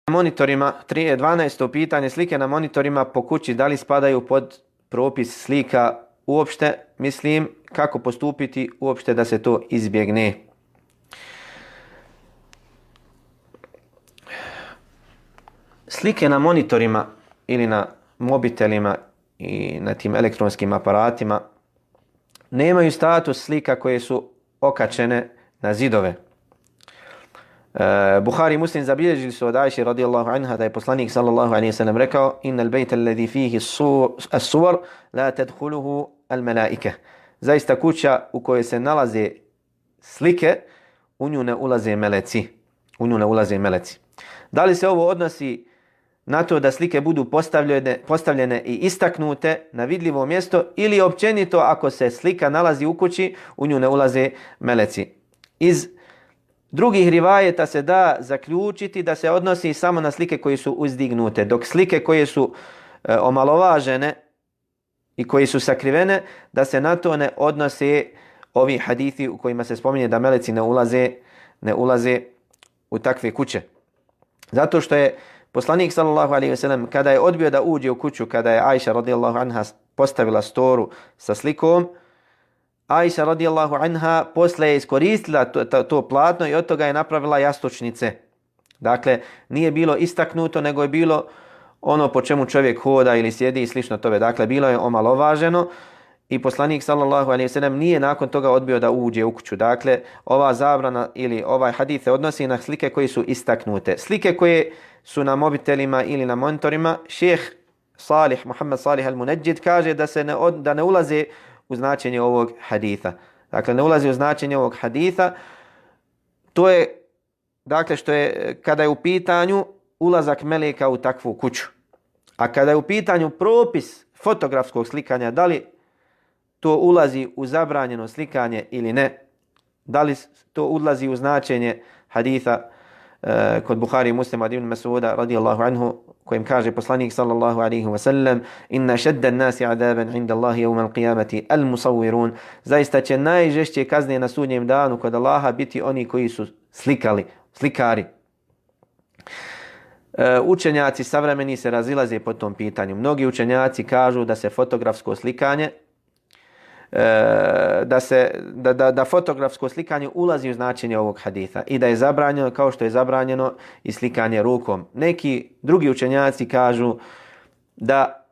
Monitorima, 12. pitanje, slike na monitorima po kući, da li spadaju pod propis slika uopšte, mislim, kako postupiti uopšte da se to izbjegne. Slike na monitorima ili na mobitelima i na tim elektronskim aparatima nemaju status slika koje su okačene na zidove. Buhari i Muslim zabilježili su od Ajše radijallahu anha da je poslanik sallallahu alejhi ve sellem rekao: "Innal bejta alladhi fihi as-suwar la tadkhuluhu al-malaika." Zaista kuća u kojoj se nalaze slike, u nju ne ulaze meleci. U nju ne ulaze meleci. Da li se ovo odnosi na to da slike budu postavljene i istaknute na vidljivo mjesto ili općenito ako se slika nalazi u kući, u nju ne ulaze meleci? Iz drugih rivajeta se da zaključiti da se odnosi samo na slike koje su uzdignute, dok slike koje su omalovažene i koje su sakrivene, da se na to ne odnose ovi hadithi u kojima se spominje da meleci ne ulaze u takve kuće. Zato što je poslanik sallallahu alejhi ve sellem kada je odbio da uđe u kuću, kada je Ajša radijallahu anha postavila storu sa slikom, Ajša radijallahu anha posle je iskoristila to platno i od toga je napravila jastučnice. Dakle, nije bilo istaknuto, nego je bilo ono po čemu čovjek hoda ili sjedi i slično tome. Dakle, bilo je omalovaženo i poslanik sallallahu alejhi ve sellem nije nakon toga odbio da uđe u kuću. Dakle, ova zabrana ili ovaj hadis se odnosi na slike koje su istaknute. Slike koje su na mobitelima ili na monitorima, šejh Muhammed Salih al-Munajjid kaže da ne ulaze u značenje ovog haditha. Dakle, ne ulazi u značenje ovog haditha. To je, dakle, što je kada je u pitanju ulazak meleka u takvu kuću. A kada je u pitanju propis fotografskog slikanja, da li to ulazi u zabranjeno slikanje ili ne, da li to ulazi u značenje haditha kod Buhari i Muslima od Ibn Mas'uda radijallahu anhu, kojim kaže poslanik sallallahu alejhi ve sellem: "Inna shadda an-nasi 'adaban 'inda Allahi yawm al-qiyamati al-musawwirun." Zaista će najžešće kazne na sudnjem danu kod Allaha biti oni koji su slikari. Učenjaci savremeni se razilaze po tom pitanju. Mnogi učenjaci kažu da se fotografsko slikanje da fotografsko slikanje ulazi u značenje ovog haditha i da je zabranjeno kao što je zabranjeno i slikanje rukom. Neki drugi učenjaci kažu da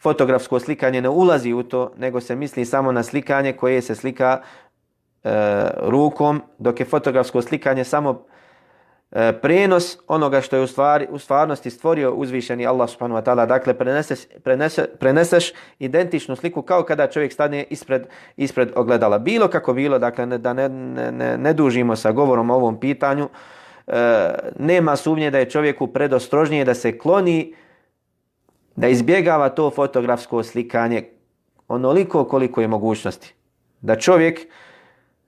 fotografsko slikanje ne ulazi u to, nego se misli samo na slikanje koje se slika rukom, dok je fotografsko slikanje samo prenos onoga što je u stvarnosti stvorio uzvišeni Allah subhanahu wa ta'ala. Dakle, preneseš identičnu sliku kao kada čovjek stane ispred ogledala. Bilo kako bilo, dakle, da ne dužimo sa govorom o ovom pitanju, nema sumnje da je čovjeku predostrožnije da se kloni, da izbjegava to fotografsko slikanje onoliko koliko je mogućnosti. Da čovjek,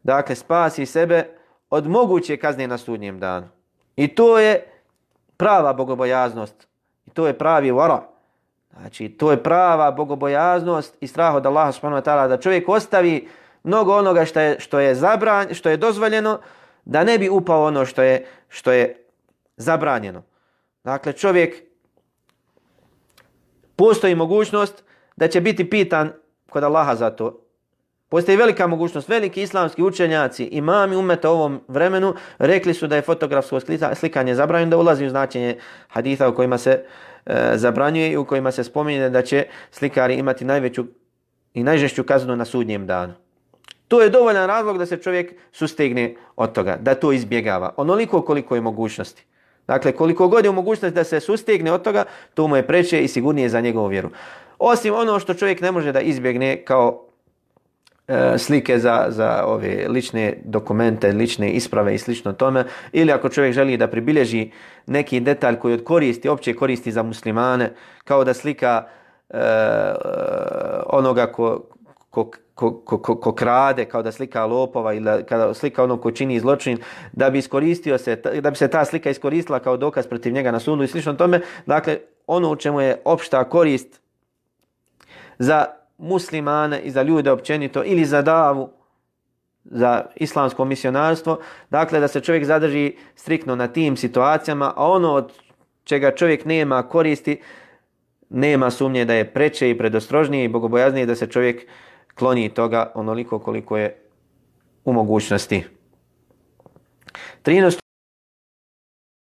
dakle, spasi sebe od moguće kazne na sudnjem danu. I to je prava bogobojaznost. I to je pravi wara. Znači, to je prava bogobojaznost i strah od Allaha subhanahu wa ta'ala, da čovjek ostavi mnogo onoga što je dozvoljeno, da ne bi upao ono što je zabranjeno. Dakle, čovjek, postoji mogućnost da će biti pitan kod Allaha za to. Postoji velika mogućnost. Veliki islamski učenjaci, imami umeta u ovom vremenu, rekli su da je fotografsko slikanje zabranjeno, da ulazi u značenje haditha u kojima se zabranjuje i u kojima se spominje da će slikari imati najveću i najžešću kaznu na sudnjem danu. To je dovoljan razlog da se čovjek sustegne od toga, da to izbjegava. Onoliko koliko je mogućnosti. Dakle, koliko god je mogućnost da se sustegne od toga, to mu je preče i sigurnije za njegovu vjeru. Osim ono što čovjek ne može da izbjegne kao slike za ove lične dokumente, lične isprave i slično tome, ili ako čovjek želi da pribilježi neki detalj koji od koristi, opće koristi za muslimane, kao da slika onoga ko krade, kao da slika lopova ili kada slika onog ko čini zločin, da bi se ta slika iskoristila kao dokaz protiv njega na sudu i slično tome. Dakle, ono u čemu je opšta korist za muslimane i za ljude općenito ili za davu, za islamsko misionarstvo, dakle da se čovjek zadrži striktno na tim situacijama, a ono od čega čovjek nema koristi, nema sumnje da je preče i predostrožnije i bogobojaznije da se čovjek kloni toga onoliko koliko je u mogućnosti. 13.